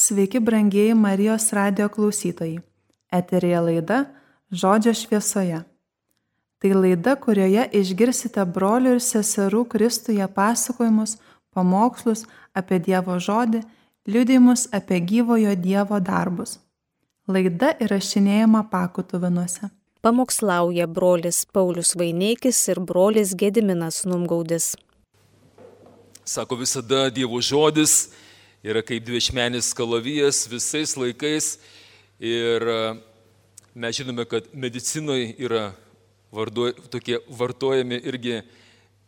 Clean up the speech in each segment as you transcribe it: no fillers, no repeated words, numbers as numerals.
Sveiki, brangieji Marijos radijo klausytojai. Eteryje laida Žodžio šviesoje. Tai laida, kurioje išgirsite brolių ir seserų Kristuje pasakojimus, pamokslus apie Dievo žodį, liudijimus apie gyvojo Dievo darbus. Laida įrašinėjama Pakutuvinuose. Pamokslauja brolis Paulius Vaineikis ir brolis Gediminas Numgaudis. Sako, visada Dievo žodis yra kaip dviašmenis kalavijas visais laikais ir mes žinome, kad medicinoje yra tokie vartojami irgi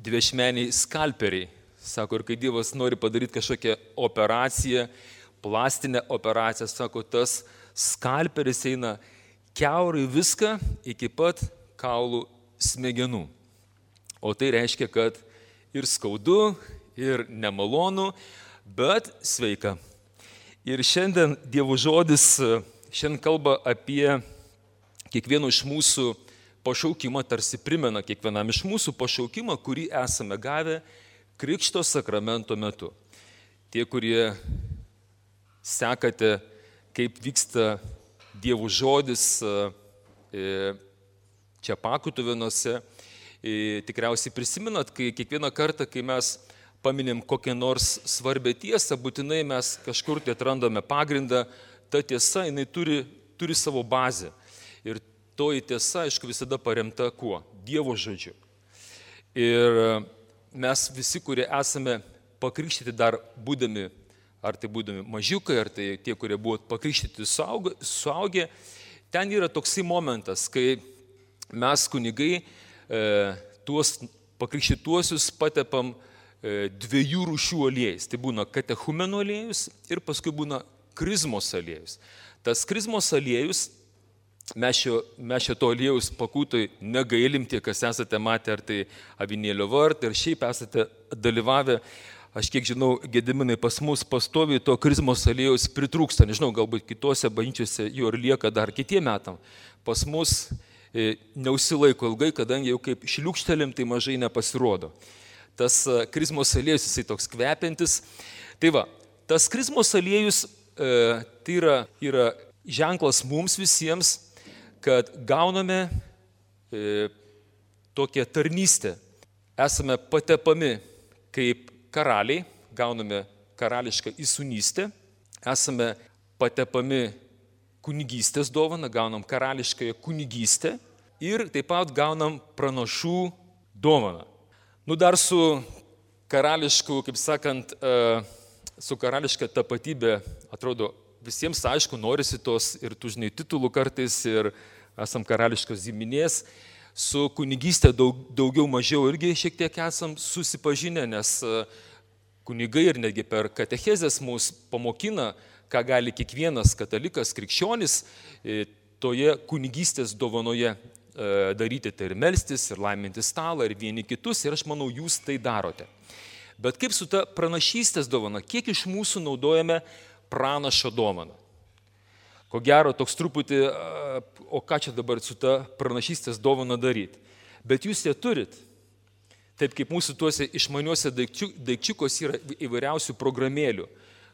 dviašmeniai skalperiai. Sako, ir kai Dievas nori padaryti kažkokią operaciją, plastinę operaciją, sako, tas skalperis eina kiaurai viską iki pat kaulų smegenų. O tai reiškia, kad ir skaudu, ir nemalonu, bet sveika. Ir šiandien Dievo žodis šiandien kalba apie kiekvieno iš mūsų pašaukimą, tarsi primena kiekvienam iš mūsų pašaukimą, kurį esame gavę Krikšto sakramento metu. Tie, kurie sekate, kaip vyksta Dievo žodis čia Pakutuvinuose, tikriausiai prisimenat, kai kiekvieną kartą, kai mes paminim kokią nors svarbią tiesą, būtinai mes kažkur tai atrandame pagrindą, ta tiesa, jinai turi savo bazę. Ir toji tiesa, aišku, visada paremta kuo? Dievo žodžiu. Ir mes visi, kurie esame pakrikštyti dar būdami, ar tai būdami mažiukai, ar tai tie, kurie buvo pakrikštyti suaugę, ten yra toksai momentas, kai mes kunigai tuos pakrikštytuosius patepam dviejų rūšių aliejais. Tai būna katechumenų aliejus ir paskui būna krizmos aliejus. Tas krizmos aliejus, mes šio to aliejus pakūtoj negailim, tie, kas esate matę, ar tai avinėlio vartą, ir šiaip esate dalyvavę. Aš kiek žinau, Gediminai, pas mus pastoviai to krizmos aliejus pritrūksta. Nežinau, galbūt kitose bažnyčiose jo ir lieka dar kitiem metam. Pas mus neužsilaiko ilgai, kadangi jau kaip šliūkštelim, tai mažai nepasirodo. Tas krizmos aliejus, jisai toks kvepiantis. Tai va, tas krizmos aliejus tai yra ženklas mums visiems, kad gauname tokią tarnystę. Esame patepami kaip karaliai, gauname karališką įsūnystę, esame patepami kunigystės dovaną, gaunam karališkąją kunigystę ir taip pat gaunam pranašų dovaną. Dar su karališku, kaip sakant, su karališka tapatybė, atrodo, visiems aišku, norisi tos ir tų, žinai, titulų kartais ir esam karališkos giminės. Su kunigystė daugiau mažiau irgi šiek tiek esam susipažinę, nes kunigai ir netgi per katechezės mus pamokina, ką gali kiekvienas katalikas, krikščionis toje kunigystės dovanoje daryti, tai ir melstis, ir laiminti stalą, ir vieni kitus, ir aš manau, jūs tai darote. Bet kaip su ta pranašystės dovana, kiek iš mūsų naudojame pranašo dovaną? Ko gero, toks truputį, o ką čia dabar su ta pranašystės dovana daryti? Bet jūs ją turit. Taip kaip mūsų tuose išmaniuose daikčiukos yra įvairiausių programėlių,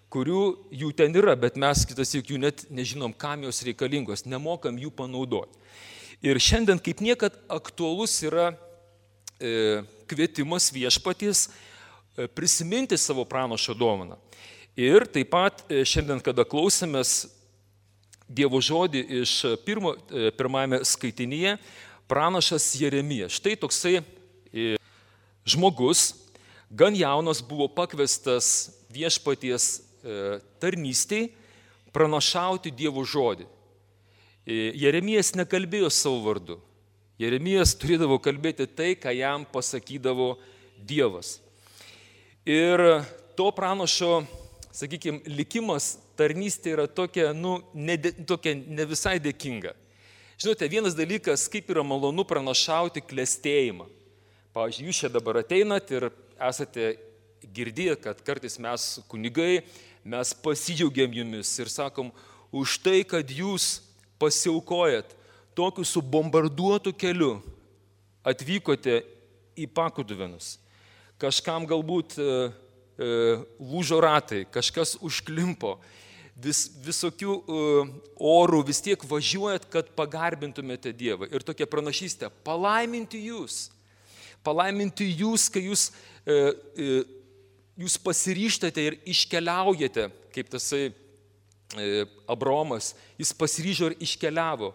kurių jų ten yra, bet mes kitas juk jų net nežinom, kam jos reikalingos, nemokam jų panaudoti. Ir šiandien kaip niekad aktualus yra kvietimas viešpaties prisiminti savo pranašo dovaną. Ir taip pat šiandien, kada klausėmės Dievo žodį iš pirmajame skaitinyje, pranašas Jeremijas. Štai toksai žmogus, gan jaunas, buvo pakviestas viešpaties tarnystei pranašauti Dievo žodį. Jeremijas nekalbėjo savo vardu. Jeremijas turėdavo kalbėti tai, ką jam pasakydavo Dievas. Ir to pranašo, sakykime, likimas tarnystė yra tokia, tokia ne visai dėkinga. Žinote, vienas dalykas, kaip yra malonu pranašauti klestėjimą. Pavyzdžiui, jūs čia dabar ateinat ir esate girdėję, kad kartais mes kunigai, mes pasidžiaugiam jumis ir sakom, už tai, kad jūs pasiaukojat tokiu subombarduotu keliu, atvykote į Pakutuvinus. Kažkam galbūt lūžo ratai, kažkas užklimpo. visokių orų vis tiek važiuojat, kad pagarbintumėte Dievą. Ir tokia pranašystė, palaiminti jūs, kai jūs pasiryžtate ir iškeliaujate, kaip tasai Abraomas, jis pasiryžo ir iškeliavo.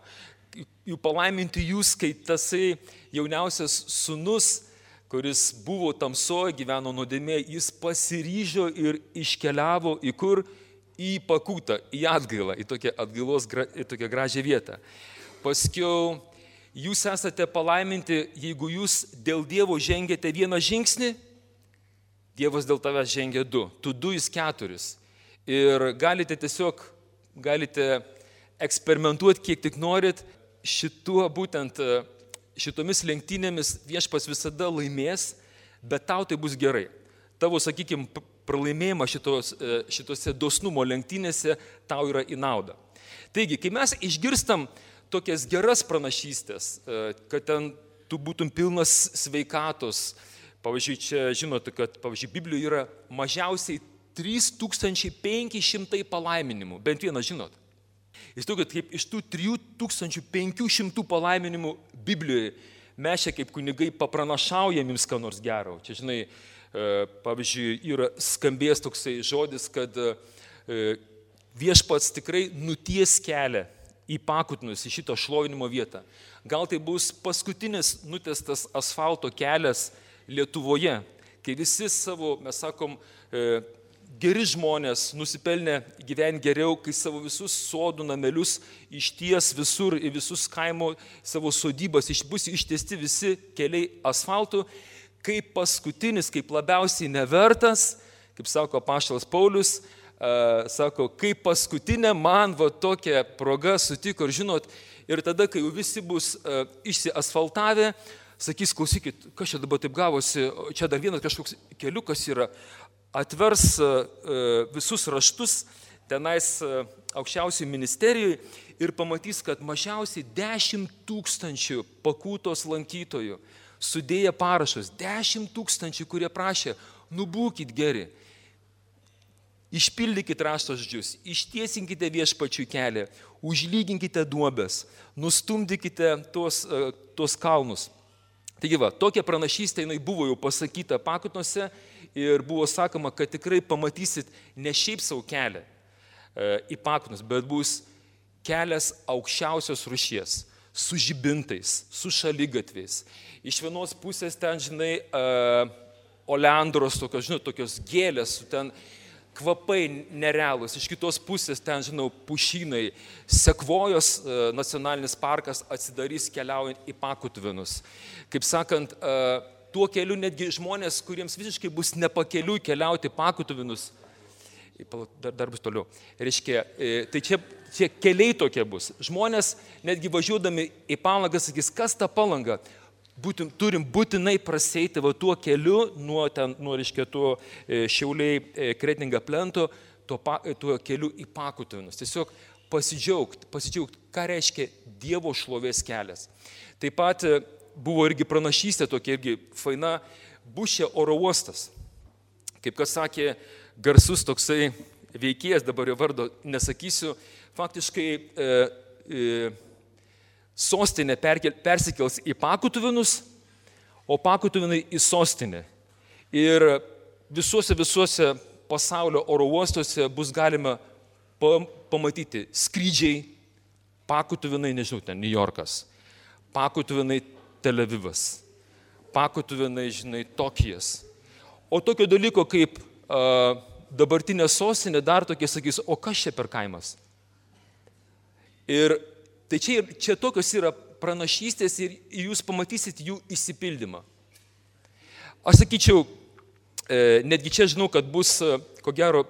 Jų palaiminti jūs, kai tasai jauniausias sūnus, kuris buvo tamsoje, gyveno nuodėmėje, jis pasiryžo ir iškeliavo į kur? Į Pakutą, į Atgailą, į tokią gražią vietą. Paskiau jūs esate palaiminti, jeigu jūs dėl Dievo žengėte vieną žingsnį, Dievas dėl tavęs žengia 2, tu 2, jis 4. Ir galite eksperimentuoti kiek tik norit, šitomis lenktynėmis Viešpats visada laimės, bet tau tai bus gerai. Tavo, sakykime, pralaimėjimas šitose dosnumo lenktynėse tau yra į naudą. Taigi, kai mes išgirstam tokias geras pranašystės, kad ten tu būtum pilnas sveikatos, pavyzdžiui, čia žinote, kad Biblijoje yra mažiausiai 3500 palaiminimų, bent vieną žinot. Jūs kad kaip iš tų 3500 palaiminimų Biblijoje mes čia kaip kunigai papranašaujam jums ką nors gero. Čia, žinai, pavyzdžiui, yra skambės toksai žodis, kad Viešpats tikrai nuties kelią į Pakutinus, į šitą šlovinimo vietą. Gal tai bus paskutinis nutiestas asfalto kelias Lietuvoje, kai visi savo, mes sakom, geri žmonės nusipelnė gyventi geriau, kai savo visus sodų namelius išties visur, į visus kaimo savo sodybas bus ištiesti visi keliai asfaltų, kaip paskutinis, kaip labiausiai nevertas, kaip sako apaštalas Paulius, sako, kaip paskutinė man tokia proga sutiko ir žinot, ir tada, kai jau visi bus išsiasfaltavę, sakys, klausykit, kas čia dabar taip gavosi, čia dar vienas kažkoks keliukas yra, atvers visus raštus tenais aukščiausiai ministerijai ir pamatys, kad mažiausiai 10 000 Pakutos lankytojų sudėję parašus, 10 000, kurie prašė, būkit geri, išpildykite raštažodžius, ištiesinkite Viešpačiui kelią, užlyginkite duobes, nustumdykite tuos kalnus. Taigi tokia pranašystė jinai buvo jau pasakyta Pakutuose ir buvo sakoma, kad tikrai pamatysit ne šiaip savo kelią į Pakutus, bet bus kelias aukščiausios rūšies, su žibintais, su šaligatviais. Iš vienos pusės ten, žinai, oleandros, tokios gėlės, ten kvapai nerealūs, iš kitos pusės ten, žinau, pušynai, Sekvojos nacionalinis parkas atsidarys keliaujant į Pakutvinus. Kaip sakant, tuo keliu netgi žmonės, kuriems visiškai bus nepakeliui keliauti Pakutvinus, dar bus toliau, reiškia, tai čia keliai tokie bus. Žmonės netgi važiuodami į Palangą sakys, kas ta Palanga? Turim būtinai praseiti tuo keliu, nuo reiškia, tuo Šiauliai Kretinga plento, tuo keliu į Pakutvinus. Tiesiog pasidžiaugt, ką reiškia Dievo šlovės kelias. Taip pat buvo irgi pranašystė tokia irgi faina, Bušė oro uostas. Kaip kas sakė garsus toksai veikėjas, dabar jo vardo nesakysiu, faktiškai sostinė persikels į Pakutvinus, o Pakutvinai į sostinę. Ir visuose pasaulio oro uostuose bus galima pamatyti skrydžiai, Pakutvinai, nežinau, ten New Yorkas, Pakutvinai Tel Avivas, Pakutvinai, žinai, Tokijas. O tokio dalyko kaip dabartinė sostinė dar tokie sakys, o kas čia per kaimas? Ir tai čia tokios yra pranašystės ir jūs pamatysit jų išsipildymą. Aš sakyčiau, netgi čia žinau, kad bus, ko gero,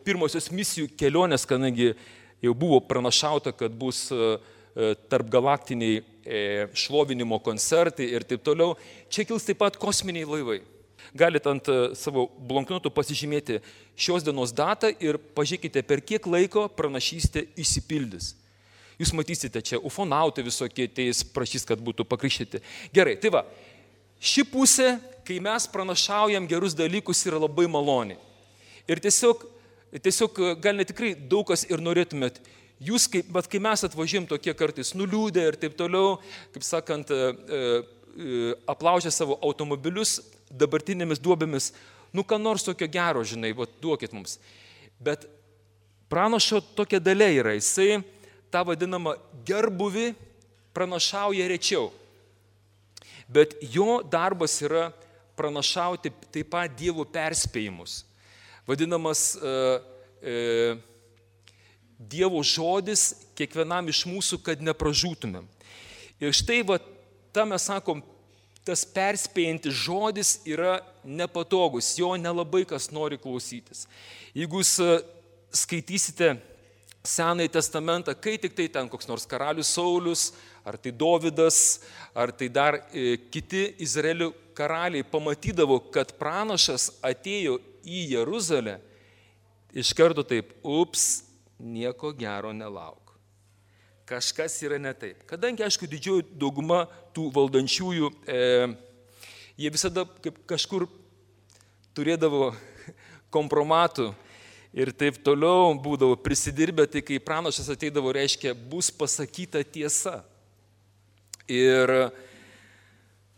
pirmosios misijų kelionės, kadangi jau buvo pranašauta, kad bus tarp galaktiniai šlovinimo koncertai ir taip toliau. Čia kils taip pat kosminiai laivai. Galite ant savo blanknotų pasižymėti šios dienos datą ir pažiūrėkite, per kiek laiko pranašystė išsipildys. Jūs matysite čia ufonautai visokie, tai jis prašys, kad būtų pakrikštyti. Gerai, tai ši pusė, kai mes pranašaujam gerus dalykus, yra labai maloni. Ir tiesiog tiesiog gal netikrai daug kas ir norėtumėt. Jūs, bet kai mes atvažiuojam tokie kartais nuliūdę ir taip toliau, kaip sakant, aplaužę savo automobilius dabartinėmis duobėmis, ką nors tokio gero, žinai, duokit mums. Bet pranašo tokia dalia yra, jisai tą vadinamą gerbuvį pranašauja rečiau. Bet jo darbas yra pranašauti taip pat Dievo perspėjimus. Vadinamas Dievo žodis kiekvienam iš mūsų, kad nepražūtumėm. Ir štai mes sakom, tas perspėjantis žodis yra nepatogus, jo nelabai kas nori klausytis. Jeigu jūs skaitysite Senąjį testamentą, kai tik tai ten koks nors karalius Saulius, ar tai Dovydas, ar tai dar kiti Izraelio karaliai pamatydavo, kad pranašas atėjo į Jeruzalę, iš karto taip, nieko gero nelauk. Kažkas yra ne taip. Kadangi, aišku, didžioji dauguma tų valdančiųjų, jie visada kažkur turėdavo kompromatų ir taip toliau būdavo prisidirbę, tai kai pranašas ateidavo, reiškia, bus pasakyta tiesa. Ir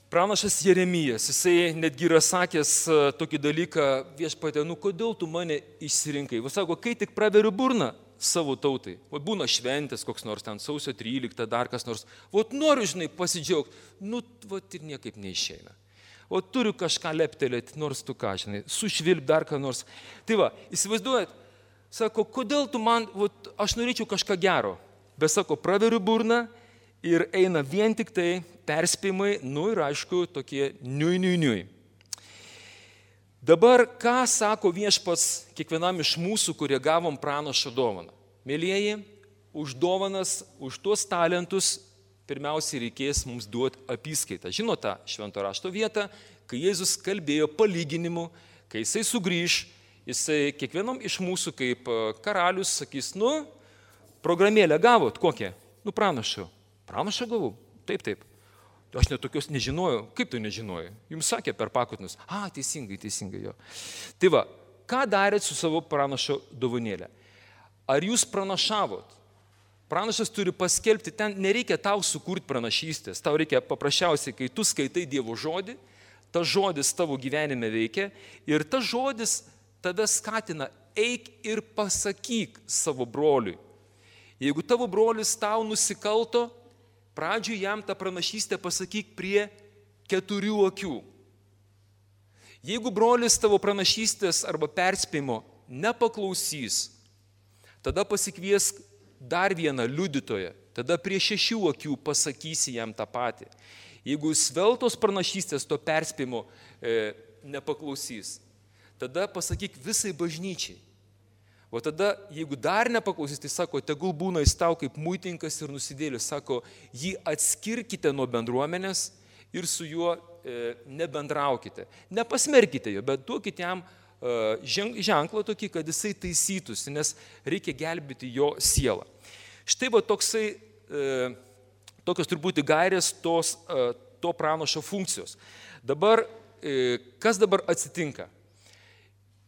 pranašas Jeremijas, jisai netgi yra sakęs tokį dalyką, Viešpatie, kodėl tu mane išsirinkai? Jis sako, kai tik praveriu burną savo tautai, būna šventės koks nors ten sausio 13, dar kas nors, noriu, žinai, pasidžiaugti, ir niekaip neišeina. Turiu kažką leptelėti, nors tu ką, žinai, sušvilp dar ką nors. Tai įsivaizduojat, sako, kodėl tu man, aš norėčiau kažką gero, bet sako, praveriu burną ir eina vien tik tai perspėjimai, ir aišku, tokie niui. Dabar, ką sako Viešpats kiekvienam iš mūsų, kurie gavom pranašo dovaną? Mėlyjeji, už dovanas, už tuos talentus, pirmiausiai reikės mums duoti apyskaitą. Žinote tą Švento rašto vietą, kai Jėzus kalbėjo palyginimu, kai jisai sugrįž, jisai kiekvienam iš mūsų kaip karalius sakys, programėlę gavot, kokią? Pranašo. Pranašo gavau? Taip. Aš net tokios nežinojau. Kaip tu nežinojai? Jums sakė per pakutinus. Teisingai jo. Tai ką darėt su savo pranašo dovanėlę? Ar jūs pranašavot? Pranašas turi paskelbti, ten nereikia tau sukurti pranašystės. Tau reikia paprasčiausiai, kai tu skaitai Dievo žodį, tas žodis tavo gyvenime veikia ir tas žodis tave skatina, eik ir pasakyk savo broliui. Jeigu tavo brolis tau nusikalto, pradžiui jam tą pranašystę pasakyk prie 4 akių. Jeigu brolis tavo pranašystės arba perspėjimo nepaklausys, tada pasikviesk dar vieną liudytoją, tada prie 6 akių pasakysi jam tą patį. Jeigu sveltos pranašystės to perspėjimo nepaklausys, tada pasakyk visai bažnyčiai. O tada, jeigu dar nepaklausys, tai sako, tegul būna jis tau kaip muitinkas ir nusidėlis, sako, jį atskirkite nuo bendruomenės ir su juo nebendraukite. Nepasmerkite jo, bet duokite jam ženklą tokį, kad jisai taisytųsi, nes reikia gelbėti jo sielą. Štai tokios turbūt gairės to pranašo funkcijos. Dabar, kas dabar atsitinka?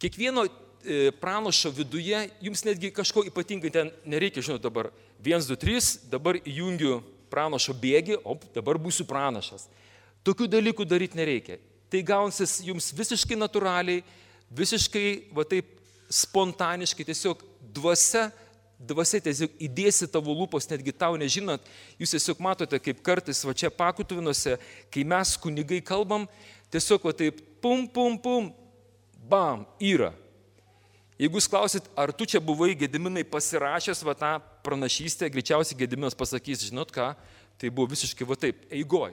Kiekvieno pranašo viduje, jums netgi kažko ypatingai ten nereikia, žinot, dabar 1, 2, 3, dabar įjungiu pranašo bėgį, dabar būsiu pranašas. Tokių dalykų daryti nereikia. Tai gaunsis jums visiškai natūraliai, visiškai taip spontaniškai, tiesiog dvasia tiesiog įdėsi tavo lūpos, netgi tau nežinant, jūs tiesiog matote, kaip kartais čia Pakutuvinuose, kai mes kunigai kalbam, tiesiog taip pum, bam, yra. Jeigu jūs klausit, ar tu čia buvai Gediminai pasirašęs tą pranašystę, greičiausiai Gediminas pasakys, žinot ką, tai buvo visiškai taip, eigoj.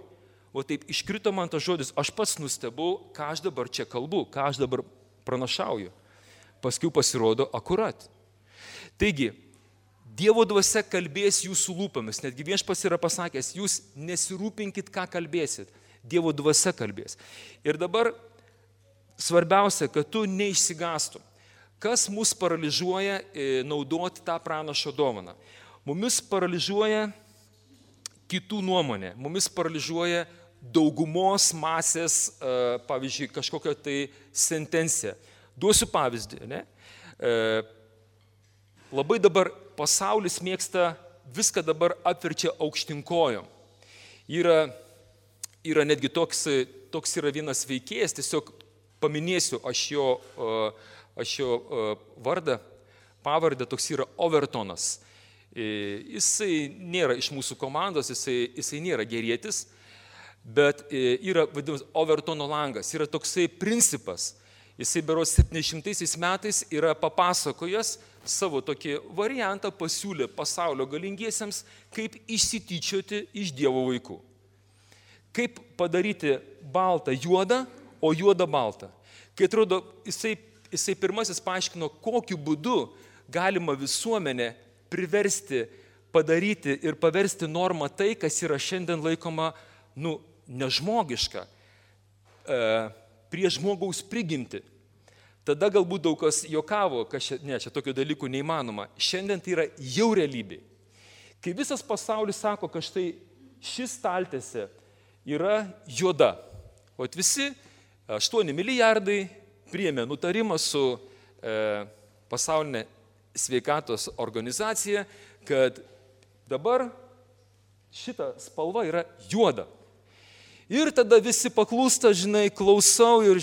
Taip iškrito man tas žodis, aš pats nustebau, ką aš dabar čia kalbu, ką aš dabar pranašauju. Paskui pasirodo akurat. Taigi, Dievo dvasia kalbės jūsų lūpomis, netgi Viešpats yra pasakęs, jūs nesirūpinkit, ką kalbėsit, Dievo dvasia kalbės. Ir dabar svarbiausia, kad tu neišsigastum. Kas mus paralyžiuoja naudoti tą pranašo dovaną? Mumis paralyžiuoja kitų nuomonė, mumis paralyžiuoja daugumos masės, pavyzdžiui, kažkokia tai sentencija. Duosiu pavyzdį, ne? labai dabar pasaulis mėgsta viską dabar apverčia aukštinkojom. Yra netgi toks yra vienas veikėjas, tiesiog paminėsiu aš jo vardą, pavardę, toks yra Overtonas. Jisai nėra iš mūsų komandos, jisai nėra gerietis, bet yra vadinamas Overtono langas, yra toksai principas. Jisai berods 700 metais yra papasakojęs savo tokį variantą, pasiūlė pasaulio galingiesiems, kaip išsityčioti iš Dievo vaikų. Kaip padaryti baltą juodą, o juodą baltą. Kai atrodo, jisai pirmasis paaiškino, kokiu būdu galima visuomenę priversti, padaryti ir paversti normą tai, kas yra šiandien laikoma, nežmogiška, prie žmogaus prigimti. Tada galbūt daug kas juokavo, kad čia tokio dalykų neįmanoma. Šiandien tai yra jau realybė. Kai visas pasaulis sako, kad štai šis staltiesė yra juoda. O visi 8 milijardai priėmė nutarimą su pasaulinė sveikatos organizacija, kad dabar šita spalva yra juoda. Ir tada visi paklūsta, klausau ir,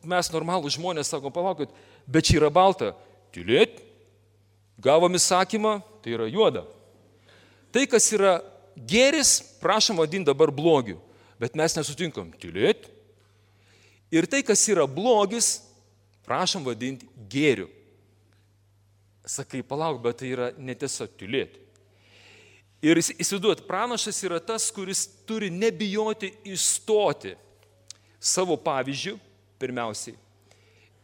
mes normalų žmonės sakom, palaukit, bet čia yra balta. Tylėt, gavom įsakymą, tai yra juoda. Tai, kas yra gėris, prašom vadinti dabar blogiu, bet mes nesutinkam. Tylėt. Ir tai, kas yra blogis, prašom vadinti gėriu. Sakai, palauk, bet tai yra netiesa, tylėt. Ir įsivaizduot, pranašas yra tas, kuris turi nebijoti išstoti savo pavyzdžių, pirmiausiai.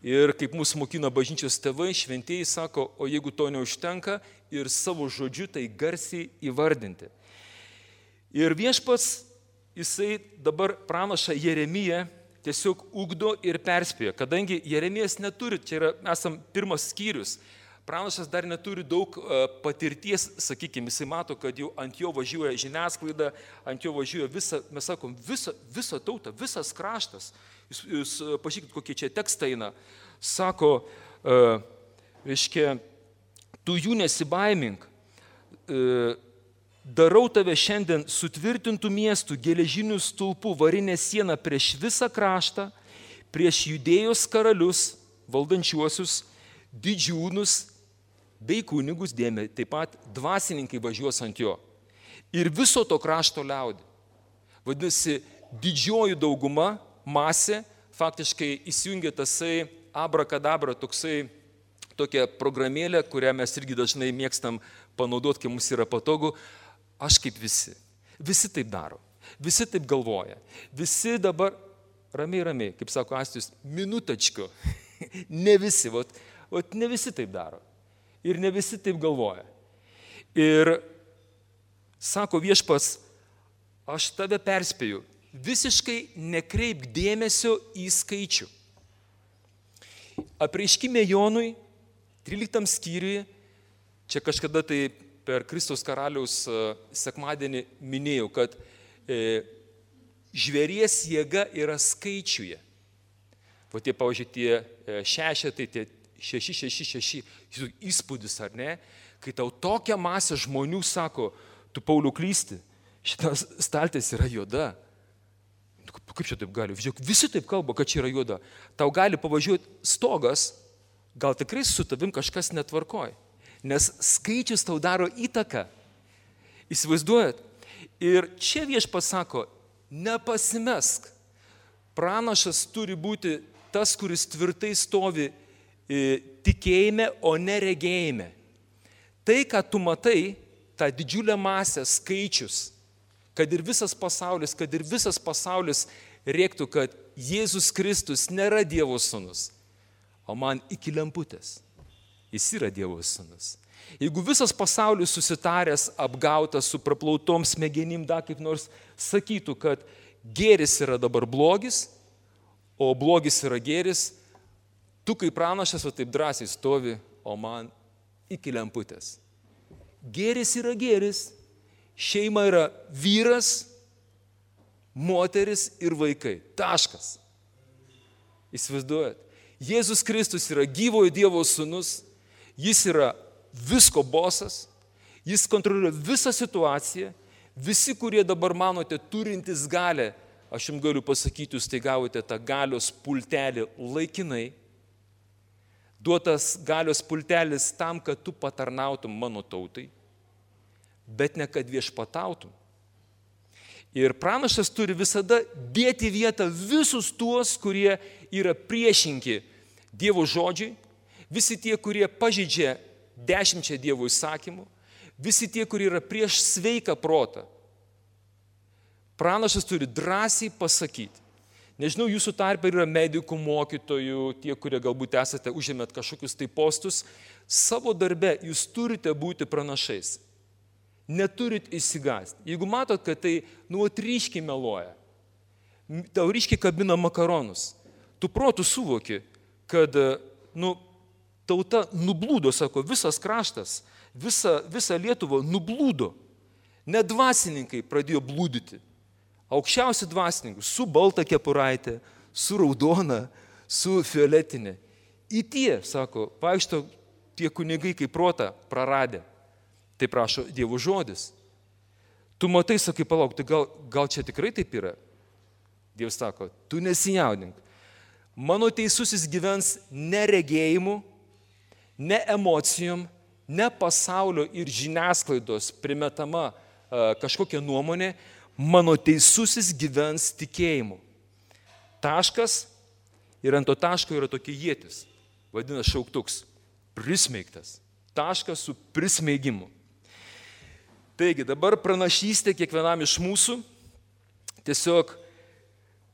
Ir kaip mūsų mokina bažnyčios tėvai, šventieji sako, o jeigu to neužtenka, ir savo žodžiu tai garsiai įvardinti. Ir viešpats, jisai dabar pranašą Jeremiją tiesiog ugdo ir perspėja, kadangi Jeremijas neturi, čia yra, esam pirmas skyrius, pranašas dar neturi daug patirties, sakykime, jisai mato, kad jau ant jo važiuoja žiniasklaida, ant jo važiuoja mes sakom, visa tauta, visas kraštas. Jūs pažiūrėkit, kokie čia tekstai eina. Sako, reiškia, tu jų nesibaimink, darau tave šiandien sutvirtintų miestų, geležinių stulpų, varinę sieną prieš visą kraštą, prieš Judėjos karalius, valdančiuosius, didžiūnus, bei kunigus dėmė, taip pat dvasininkai važiuos ant jo. Ir viso to krašto liaudį. Vadinasi, didžioji dauguma, masė, faktiškai įsijungia tasai abrakadabra, tokia programėlė, kurią mes irgi dažnai mėgstam panaudoti, kai mums yra patogu. Aš kaip visi. Visi taip daro. Visi taip galvoja. Visi dabar ramiai, kaip sako Astijus, minutačko. Ne visi, ne visi taip daro. Ir ne visi taip galvoja. Ir sako viešpats, aš tave perspėju, visiškai nekreipk dėmesio į skaičių. Apreiškime Jonui, 13 skyriui, čia kažkada tai per Kristaus karaliaus sekmadienį minėjau, kad žvėries jėga yra skaičiuje. O tie, pavyzdžiui, tie šešetai, tie 666, įspūdis, ar ne? Kai tau tokia masė žmonių sako, tu Pauliau klysti, šitas staltis yra juoda. Kaip čia taip gali? Visi taip kalba, kad čia yra juoda. Tau gali pavažiuoti stogas, gal tikrai su tavim kažkas netvarkoja. Nes skaičius tau daro įtaką. Įsivaizduojat? Ir čia viešpats sako, nepasimesk. Pranašas turi būti tas, kuris tvirtai stovi tikėjime, o ne regėjime. Tai, ką tu matai, tą didžiulę masę, skaičius, kad ir visas pasaulis rėktų, kad Jėzus Kristus nėra Dievo sūnus, o man iki lemputės. Jis yra Dievo sūnus. Jeigu visas pasaulis susitaręs, apgautas, su praplautom smegenim, dar kaip nors sakytų, kad gėris yra dabar blogis, o blogis yra gėris, tu kaip pranašas, taip drąsiai stovi, o man iki lemputės. Gėris yra gėris, šeima yra vyras, moteris ir vaikai. Taškas. Įsivaizduojat? Jėzus Kristus yra gyvojo Dievo sūnus, jis yra visko bosas, jis kontroliuoja visą situaciją, visi, kurie dabar manote turintys galę, aš jums galiu pasakyti, jūs tai gavote tą galios pultelį laikinai, duotas galios pultelis tam, kad tu patarnautum mano tautai, bet ne kad viešpatautum. Ir pranašas turi visada dėti vietą visus tuos, kurie yra priešinki Dievo žodžiai, visi tie, kurie pažeidžia 10 Dievo įsakymų, visi tie, kurie yra prieš sveiką protą. Pranašas turi drąsiai pasakyti. Nežinau, jūsų tarpe yra medikų, mokytojų, tie, kurie galbūt esate užėmėt kažkokius tai postus. Savo darbe jūs turite būti pranašais. Neturit įsigąsti. Jeigu matot, kad tai ryškiai meluoja, tau ryškiai kabina makaronus, tu protų suvoki, kad tauta nublūdo, sako, visas kraštas, visa Lietuva nublūdo. Net dvasininkai pradėjo blūdyti. Aukščiausi dvasininkai su balta kepuraitė, su raudona, su fioletinė. Į tie, sako, vaikšto tie kunigai kaip protą praradę. Tai prašo Dievo žodis. Tu matai, sakai, palauk, tai gal čia tikrai taip yra? Dievas sako, tu nesijaudink. Mano teisusis gyvens ne regėjimu, ne emocijom, ne pasaulio ir žiniasklaidos primetama kažkokia nuomonė, mano teisusis gyvens tikėjimu. Taškas ir ant to taško yra tokia ietis, vadina šauktuks, prismeigtas. Taškas su prismeigimu. Taigi, dabar pranašystė kiekvienam iš mūsų, tiesiog,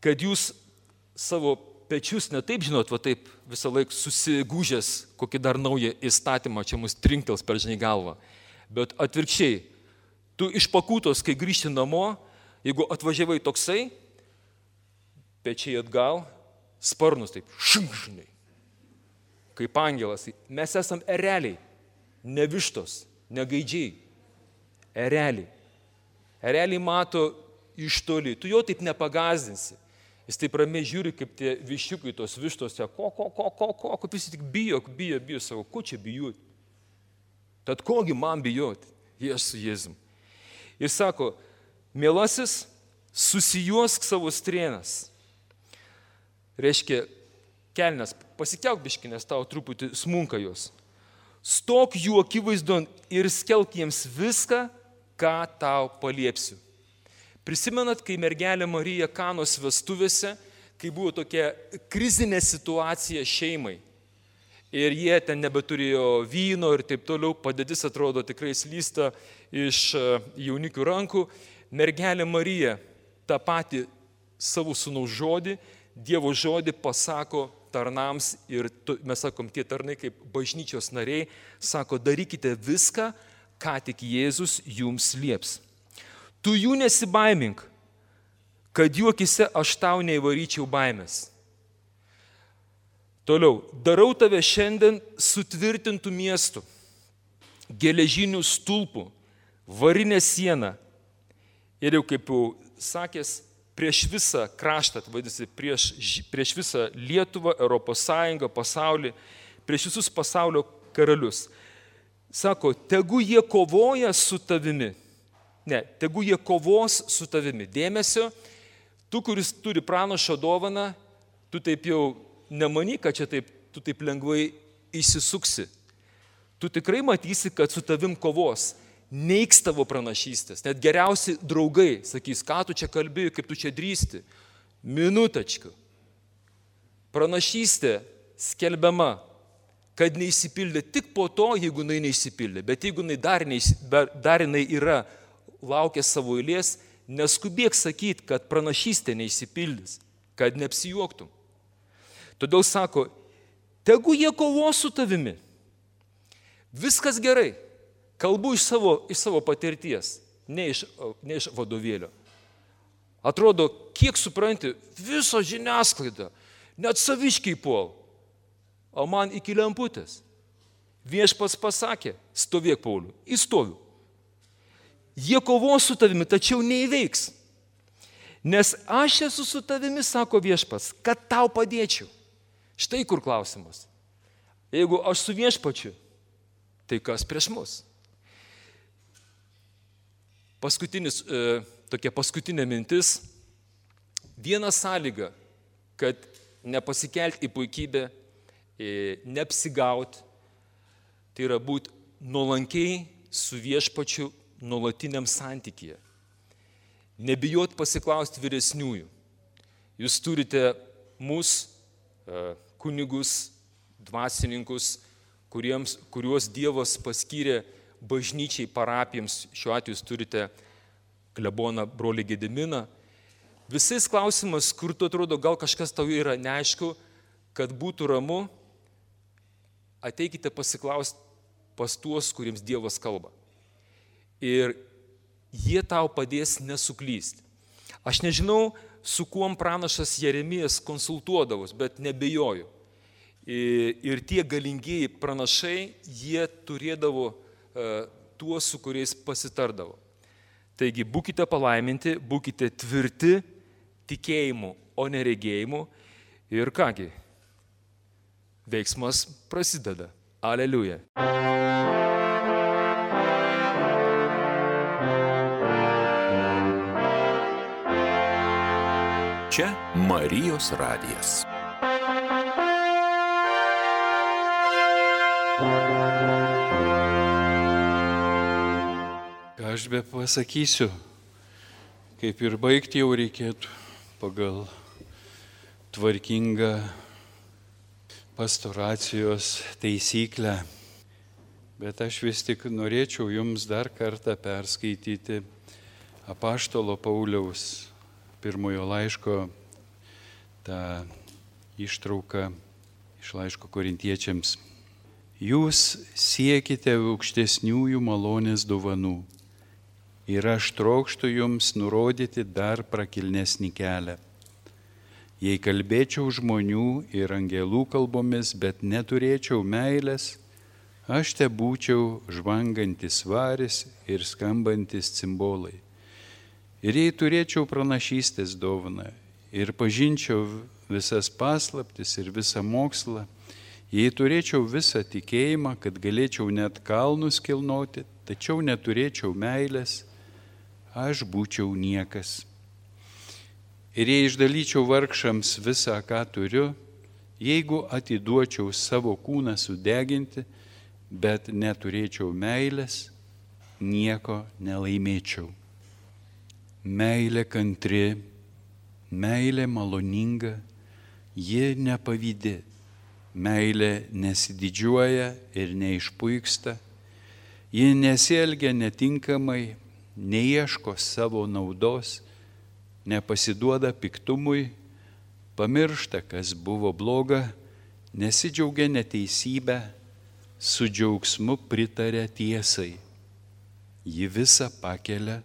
kad jūs savo pečius ne taip žinot, va taip visą laiką susigūžęs kokį dar naują įstatymą, čia mus trinktels per žinai galvą. Bet atvirkščiai, tu iš pakūtos, kai grįžti namo, jeigu atvažiavai toksai, pečiai atgal, sparnus taip, žinai, kaip angelas. Mes esam ereliai, ne vištos, ne gaidžiai, ereliai. Ereliai mato iš toli, tu jo taip nepagazdinsi. Jis taip ramiai žiūri, kaip tie viščiukai, tos vištos, kaip jis tik bijo, savo, ko čia bijoti? Tad kogi man bijoti? Jėzus su Jėzum. Ir sako, mielasis, susijuosk savo strėnas. Reiškia, kelnes, pasikelk biški, nes tau truputį smunka jos. Stok jų akivaizdon ir skelk jiems viską, ką tau paliepsiu. Prisimenat, kai mergelė Marija Kanos vestuvėse, kai buvo tokia krizinė situacija šeimai ir jie ten nebeturėjo vyno ir taip toliau, padėtis atrodo tikrai slysta iš jaunikių rankų, mergelė Marija tą patį savo sūnaus žodį, Dievo žodį pasako tarnams ir mes sakom, tie tarnai kaip bažnyčios nariai, sako, darykite viską, ką tik Jėzus jums lieps. Tu jų nesibaimink, kad jų akise aš tau neįvaryčiau baimės. Toliau, darau tave šiandien sutvirtintų miestų, geležinių stulpų, varinę sieną ir jau kaip jau sakęs, prieš visą kraštą, vadinasi, prieš visą Lietuvą, Europos Sąjungą, pasaulį, prieš visus pasaulio karalius. Sako, tegu jie kovoja su tavimi. Ne, tegu jie kovos su tavimi. Dėmesio, tu, kuris turi pranašo dovaną, tu taip jau nemanyk, kad čia taip, tu taip lengvai išsisuksi. Tu tikrai matysi, kad su tavim kovos. Neiks tavo pranašystės. Net geriausi draugai sakys, ką tu čia kalbėjai, kaip tu čia drįsti. Minutačku. Pranašystė skelbiama, kad neįsipildė tik po to, jeigu jinai neįsipildė. Bet jeigu jinai dar jinai yra laukia savo eilės, neskubėk sakyti, kad pranašystė neįsipildys, kad neapsijuoktum. Todėl sako, tegu jie kovos su tavimi. Viskas gerai. Kalbu iš savo patirties, ne iš vadovėlio. Atrodo, kiek supranti, viso žiniasklaida, net saviškiai puol. O man iki lemputės. Viešpats pasakė, stovėk, Pauliau, įstoviu. Jie kovos su tavimi, tačiau neįveiks. Nes aš esu su tavimi, sako viešpats, kad tau padėčiau. Štai kur klausimas. Jeigu aš su viešpačiu, tai kas prieš mus? Tokia paskutinė mintis. Viena sąlyga, kad nepasikelti į puikybę, neapsigauti, tai yra būti nuolankiai su viešpačiu nuolatiniam santykyje. Nebijot pasiklausti vyresniųjų. Jūs turite mus, kunigus, dvasininkus, kuriuos Dievas paskyrė bažnyčiai, parapijoms. Šiuo atveju jūs turite kleboną brolį Gediminą. Visais klausimas, kur tu atrodo, gal kažkas tau yra neaišku, kad būtų ramu, ateikite pasiklausti pas tuos, kuriems Dievas kalba. Ir jie tau padės nesuklysti. Aš nežinau, su kuom pranašas Jeremijas konsultuodavos, bet nebejoju. Ir tie galingieji pranašai, jie turėdavo tuos, su kuriais pasitardavo. Taigi būkite palaiminti, būkite tvirti tikėjimu, o ne regėjimu. Ir kągi, veiksmas prasideda. Aleliuja. Čia Marijos radijas. Ką aš be pasakysiu, kaip ir baigti jau reikėtų pagal tvarkingą pastoracijos taisyklę. Bet aš vis tik norėčiau jums dar kartą perskaityti apaštalo Pauliaus pirmojo laiško tą ištrauką iš laiško Korintiečiams. Jūs siekite aukštesniųjų malonės dovanų ir aš trokštu jums nurodyti dar prakilnesnį kelią. Jei kalbėčiau žmonių ir angelų kalbomis, bet neturėčiau meilės, aš te būčiau žvangantis varis ir skambantis cimbolai. Ir jei turėčiau pranašystės dovaną ir pažinčiau visas paslaptis ir visą mokslą, jei turėčiau visą tikėjimą, kad galėčiau net kalnus kilnoti, tačiau neturėčiau meilės, aš būčiau niekas. Ir jei išdalyčiau vargšams visą, ką turiu, jeigu atiduočiau savo kūną sudeginti, bet neturėčiau meilės, nieko nelaimėčiau. Meilė kantri, meilė maloninga, ji nepavydi, meilė nesididžiuoja ir neišpuiksta, ji nesielgia netinkamai, neieško savo naudos, nepasiduoda piktumui, pamiršta, kas buvo bloga, nesidžiaugia neteisybę, su džiaugsmu pritaria tiesai. Ji visą pakelia,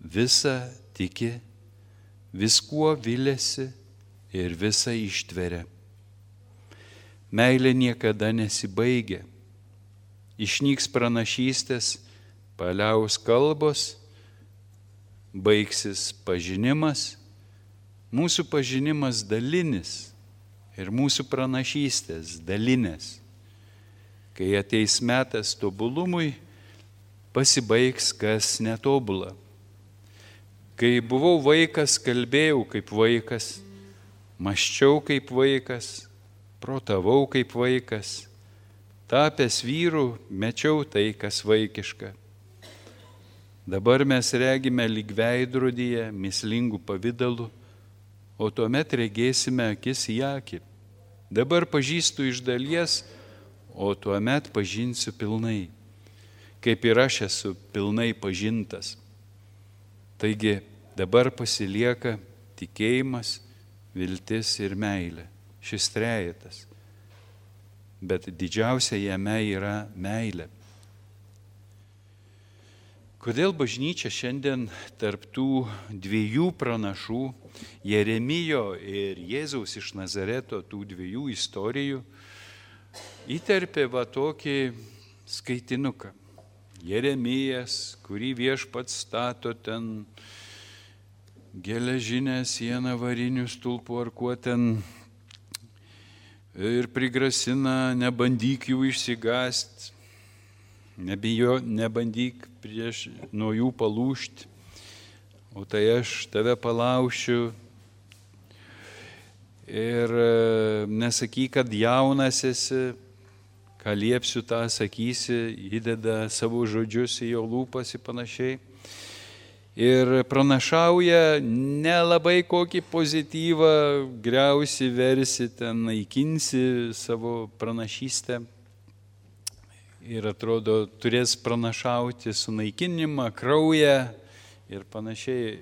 visą tiki, viskuo viliasi ir visą ištveria. Meilė niekada nesibaigia. Išnyks pranašystės, paliaus kalbos, baigsis pažinimas, mūsų pažinimas dalinis ir mūsų pranašystės dalinės. Kai ateis metas tobulumui, pasibaigs kas netobula. Kai buvau vaikas, kalbėjau kaip vaikas, mąsčiau kaip vaikas, protavau kaip vaikas, tapęs vyru, mečiau tai, kas vaikiška. Dabar mes regime lyg veidrodyje, mįslingų pavidalų, o tuomet regėsime akis į akį. Dabar pažįstu iš dalies, o tuomet pažinsiu pilnai, kaip ir aš esu pilnai pažintas. Taigi dabar pasilieka tikėjimas, viltis ir meilė, šis trejetas. Bet didžiausia jame yra meilė. Kodėl bažnyčia šiandien tarp tų dviejų pranašų, Jeremijo ir Jėzaus iš Nazareto, tų dviejų istorijų, įterpė tokį skaitinuką. Jeremijas, kurį viešpats stato ten geležinę sieną varinių stulpų ar kuo ten ir prigrasina, nebandyk jų išsigąst. nebandyk nuo jų palūžti, o tai aš tave palaušiu. Ir nesakyk, kad jaunas esi, ką liepsiu, tą sakysi, įdeda savo žodžius į jo lūpas ir panašiai. Ir pranašauja nelabai kokį pozityvą, griausi, versi, ten naikinsi savo pranašystę. Ir atrodo, turės pranašauti sunaikinimą, kraują ir panašiai.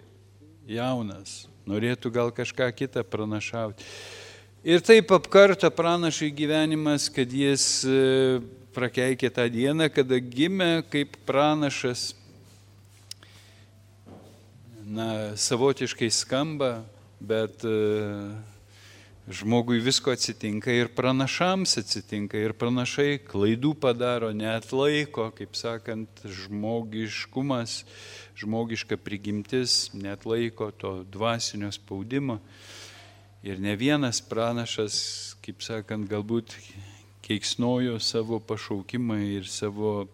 Jaunas, norėtų gal kažką kitą pranašauti. Ir taip apkarta pranašui gyvenimas, kad jis prakeikė tą dieną, kada gimė kaip pranašas. Na, savotiškai skamba, bet žmogui visko atsitinka ir pranašams atsitinka. Ir pranašai klaidų padaro, neatlaiko, kaip sakant, žmogiškumas, žmogiška prigimtis, neatlaiko to dvasinio spaudimo. Ir ne vienas pranašas, kaip sakant, galbūt keiksnojo savo pašaukimą ir savo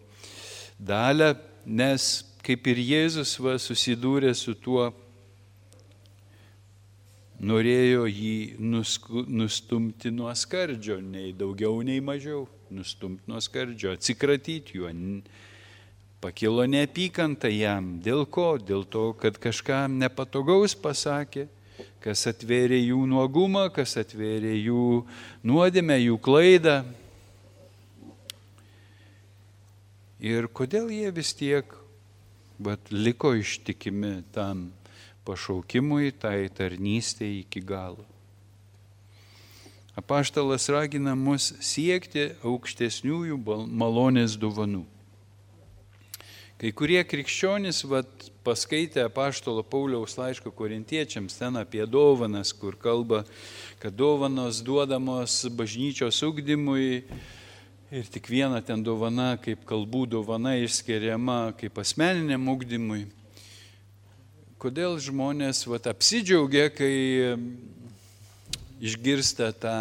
dalę, nes kaip ir Jėzus susidūrė su tuo, norėjo jį nustumti nuo skardžio, nei daugiau, nei mažiau, nustumti nuo skardžio, atsikratyti juo. Pakilo neapykanta jam. Dėl ko? Dėl to, kad kažkam nepatogaus pasakė, kas atvėrė jų nuogumą, kas atvėrė jų nuodėmę, jų klaidą. Ir kodėl jie vis tiek liko ištikimi tam pašaukimui, tai tarnystei iki galo. Apaštalas ragina mus siekti aukštesniųjų malonės dovanų. Kai kurie krikščionys paskaitė apaštalo Pauliaus laiško korintiečiams ten apie dovanas, kur kalba, kad dovanos duodamos bažnyčios ugdymui. Ir tik viena ten dovana, kaip kalbų dovana, išskiriama kaip asmeniniam ugdymui. Kodėl žmonės apsidžiaugia, kai išgirsta tą,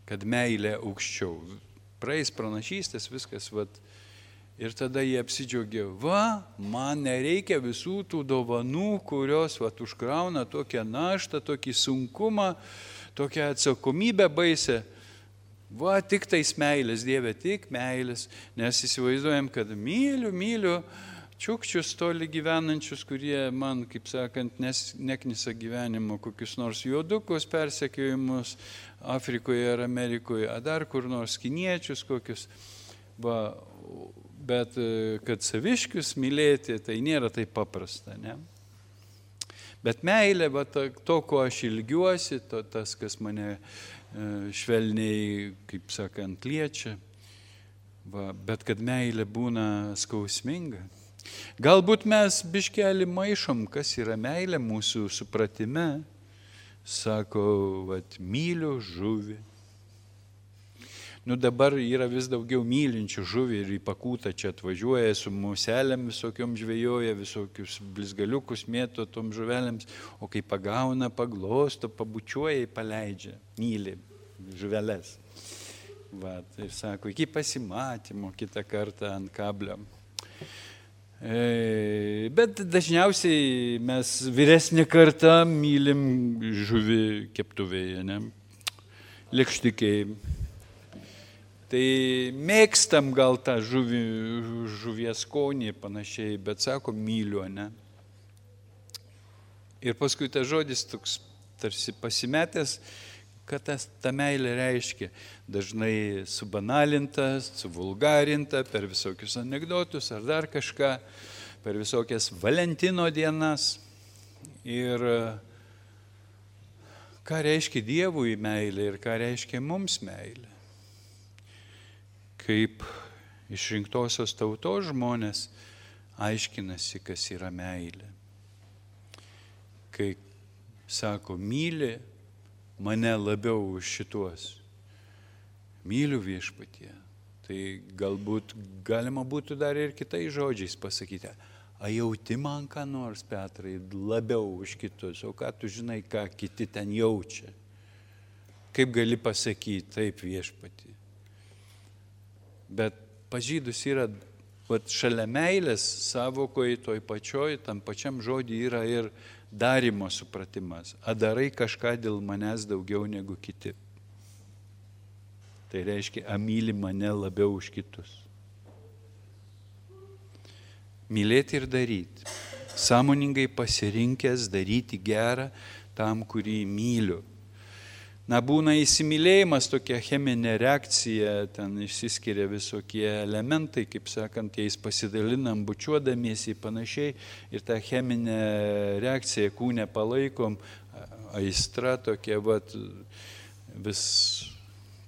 kad meilė aukščiau. Praeis pranašystės, viskas, ir tada jie apsidžiaugia, man nereikia visų tų dovanų, kurios užkrauna tokią naštą, tokį sunkumą, tokią atsakomybę baisę. Tik tais meilės, Dieve, tik meilės. Nes įsivaizduojam, kad myliu čiukčius toli gyvenančius, kurie man, kaip sakant, neknisa gyvenimo, kokius nors juodukus persekiojimus Afrikoje ar Amerikoje, ar dar kur nors kiniečius kokius. Bet kad saviškius mylėti, tai nėra taip paprasta, ne? Bet meilė, to, ko aš ilgiuosi, tas, kas mane švelniai, kaip sakant, liečia, bet kad meilė būna skausminga. Galbūt mes biškelį maišom, kas yra meilė mūsų supratime. Sako, myliu žuvį. Dabar yra vis daugiau mylinčių žuvį ir į Pakūtą čia atvažiuoja, su muselėm visokiom žvejoja, visokius blizgaliukus mėto tom žuvelėms, o kai pagauna, paglosto, pabučiuoja, paleidžia, myli žuvelės. Ir sako, iki pasimatymo kitą kartą ant kablio. Bet dažniausiai mes vyresnį kartą mylim žuvį keptuvėje, ne? Lėkštikiai. Tai mėgstam gal tą žuvies skonį panašiai, bet sako, myliu, ne? Ir paskui tas žodis toks tarsi pasimetęs, kad ta meilė reiškia dažnai subanalinta, suvulgarinta per visokius anekdotus ar dar kažką, per visokias Valentino dienas. Ir ką reiškia Dievui meilė ir ką reiškia mums meilė. Kaip išrinktosios tautos žmonės aiškinasi, kas yra meilė. Kai sako, myli mane labiau už šituos. Myliu Viešpatie. Tai galbūt galima būtų dar ir kitais žodžiais pasakyti. A jauti man ką nors, Petrai, labiau už kitus? O ką tu žinai, ką kiti ten jaučia? Kaip gali pasakyti, taip Viešpatie? Bet pas žydus yra, šalia meilės savokoje toj pačioj, tam pačiam žodį yra ir darimo supratimas. Darai kažką dėl manęs daugiau negu kiti. Tai reiškia, myli mane labiau už kitus. Mylėti ir daryti. Sąmoningai pasirinkęs daryti gerą tam, kurį myliu. Būna įsimylėjimas, tokia cheminė reakcija, ten išsiskiria visokie elementai, kaip sakant, jais pasidalinam, bučiuodamiesi panašiai, ir tą cheminę reakciją kūne palaikom, aistra tokia, vis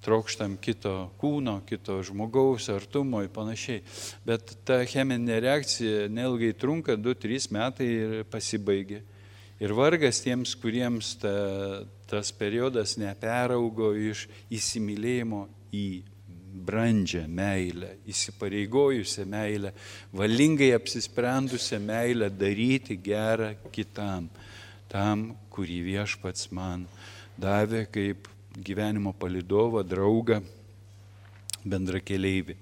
trokštam kito kūno, kito žmogaus artumo ir panašiai. Bet ta cheminė reakcija neilgai trunka, 2-3 metai ir pasibaigia. Ir vargas tiems, kuriems tas periodas neperaugo iš įsimylėjimo į brandžią meilę, įsipareigojusią meilę, valingai apsisprendusią meilę daryti gerą kitam, tam, kurį Viešpats man davė kaip gyvenimo palydovą, draugą, bendrakeleivį.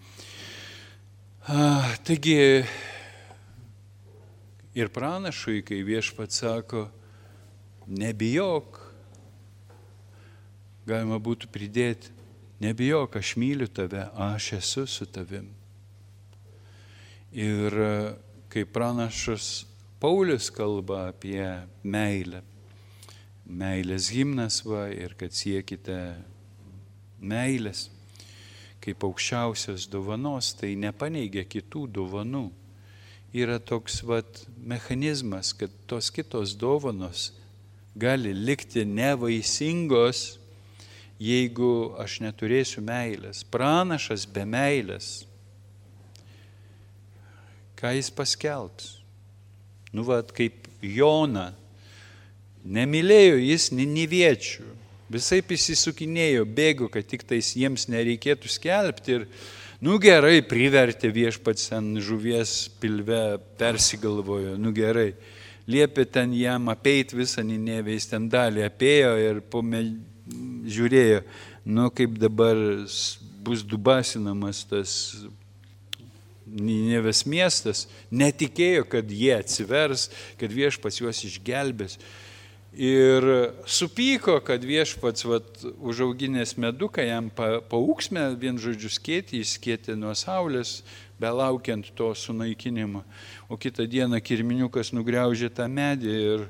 Taigi, ir pranašui, kai Viešpats sako, nebijok, galima būtų pridėti, nebijok, aš myliu tave, aš esu su tavim. Ir kai pranašas Paulius kalba apie meilę, meilės himnas ir kad siekite meilės kaip aukščiausios dovanos, tai nepaneigia kitų dovanų. Yra toks mechanizmas, kad tos kitos dovanos gali likti nevaisingos, jeigu aš neturėsiu meilės. Pranašas be meilės, ką jis paskelbs? Kaip Jona, nemylėjo jis niniviečių, visaip įsisukinėjo, bėgo, kad tik tais jiems nereikėtų skelbti ir gerai, privertė Viešpats ant žuvies pilve, persigalvojo, gerai. Liepė ten jam apeiti visą Ninevę, jis ten dalį apėjo ir žiūrėjo, kaip dabar bus dubasinamas tas Ninevės miestas. Netikėjo, kad jie atsivers, kad Viešpats juos išgelbės. Ir supyko, kad Viešpats užauginęs meduką jam paūksmę, vien žodžiu skėtį, jis skėtė nuo saulės, belaukiant to sunaikinimo. O kitą dieną kirminiukas nugriaužė tą medį ir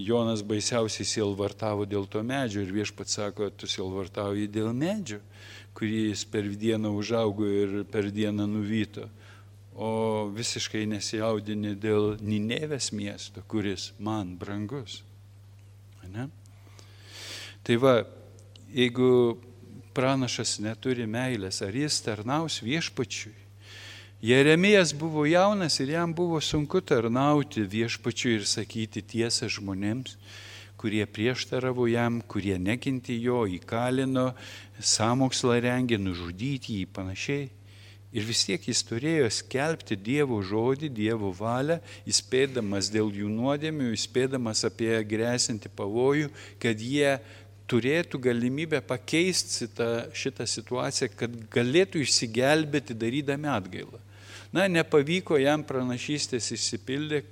Jonas baisiausiai sielvartavo dėl to medžio. Ir Viešpats sako, tu sielvartauji dėl medžio, kurį jis per dieną užaugo ir per dieną nuvyto. O visiškai nesijaudini dėl Ninevės miesto, kuris man brangus. Ne? Tai jeigu pranašas neturi meilės, ar jis tarnaus Viešpačiui? Jeremijas buvo jaunas ir jam buvo sunku tarnauti Viešpačiui ir sakyti tiesą žmonėms, kurie prieštaravo jam, kurie nekentė jo, įkalino, sąmokslą rengė, nužudyti jį panašiai. Ir vis tiek jis turėjo skelbti Dievo žodį, Dievo valią, įspėdamas dėl jų nuodėmių, įspėdamas apie grėsinti pavojų, kad jie turėtų galimybę pakeisti šitą situaciją, kad galėtų išsigelbėti darydami atgailą. Nepavyko jam pranašystės išsipildė,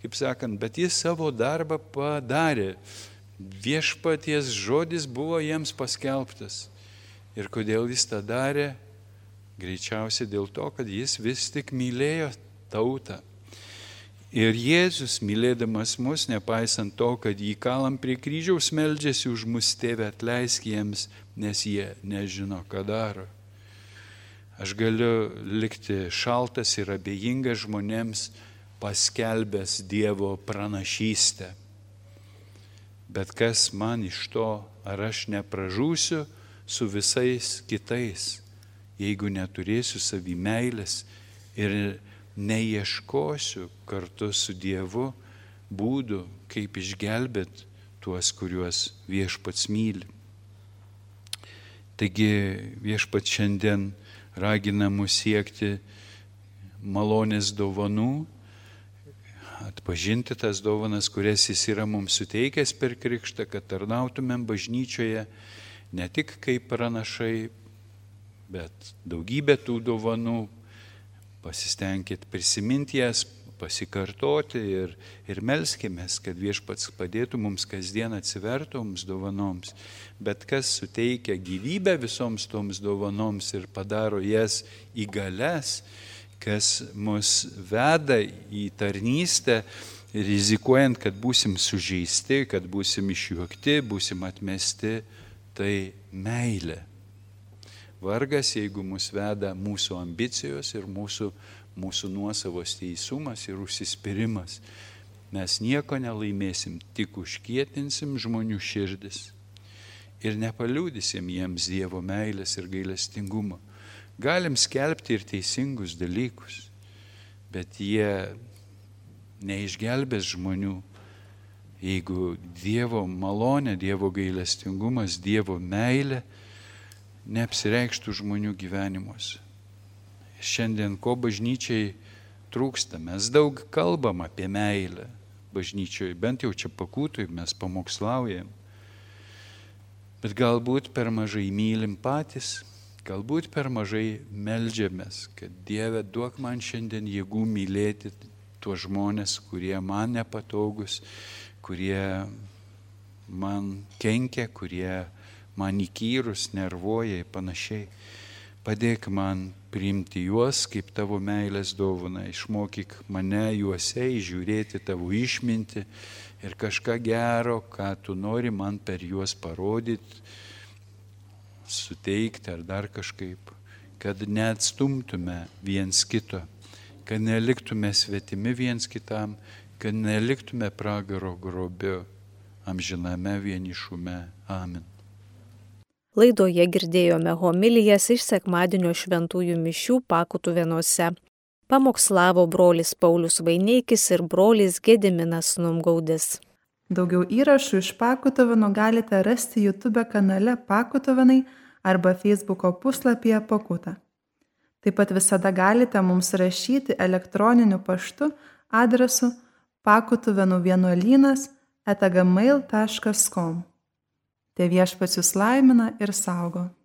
kaip sakant, bet jis savo darbą padarė. Viešpaties žodis buvo jiems paskelbtas. Ir kodėl jis tą darė? Greičiausiai dėl to, kad jis vis tik mylėjo tautą. Ir Jėzus, mylėdamas mus, nepaisant to, kad jį kalam prie kryžiaus, meldžiasi už mus, Tėve, atleisk jiems, nes jie nežino, ką daro. Aš galiu likti šaltas ir abejingas žmonėms, paskelbęs Dievo pranašystę. Bet kas man iš to, ar aš nepražūsiu su visais kitais, jeigu neturėsiu savy meilės ir neieškosiu kartu su Dievu būdų, kaip išgelbėti tuos, kuriuos Viešpats myli. Taigi Viešpats šiandien ragina mus siekti malonės dovanų, atpažinti tas dovanas, kurias jis yra mums suteikęs per krikštą, kad tarnautumėm bažnyčioje ne tik kaip pranašai, bet daugybė tų dovanų, pasistengkit prisiminti jas, pasikartoti ir melskimės, kad Viešpats padėtų mums kasdien atsivertoms dovanoms. Bet kas suteikia gyvybę visoms toms dovanoms ir padaro jas įgalias, kas mus veda į tarnystę, rizikuojant, kad būsim sužeisti, kad būsim išjuokti, būsim atmesti, tai meilė. Vargas, jeigu mus veda mūsų ambicijos ir mūsų nuosavos teisumas ir užsispyrimas. Mes nieko nelaimėsim, tik užkietinsim žmonių širdis ir nepaliudysim jiems Dievo meilės ir gailestingumo. Galim skelbti ir teisingus dalykus, bet jie neišgelbės žmonių, jeigu Dievo malonė, Dievo gailestingumas, Dievo meilė neapsireikštų žmonių gyvenimuose. Šiandien ko bažnyčiai trūksta? Mes daug kalbam apie meilę bažnyčioje, bent jau čia Pakutui mes pamokslaujam. Bet galbūt per mažai mylim patys, galbūt per mažai meldžiamės, kad Dieve duok man šiandien jėgų mylėti tuos žmonės, kurie man nepatogus, kurie man kenkia, kurie man įkyrus, nervuoja ir panašiai. Padėk man priimti juos kaip tavo meilės dovana, išmokyk mane juose įžiūrėti tavo išmintį ir kažką gero, ką tu nori man per juos parodyti, suteikti ar dar kažkaip, kad neatstumtume viens kito, kad neliktume svetimi viens kitam, kad neliktume pragaro grobio amžiname vienišume. Amen. Laidoje girdėjome homilijas iš sekmadienio šventųjų mišių Pakutuvėnuose. Pamokslavo brolis Paulius Vaineikis ir brolis Gediminas Numgaudis. Daugiau įrašų iš Pakutuvėnų galite rasti YouTube kanale Pakutuvėnai arba Facebooko puslapyje Pakuta. Taip pat visada galite mums rašyti elektroniniu paštu adresu pakutuvėnuvienuolynas@gmail.com. Te Viešpats jus laimina ir saugo.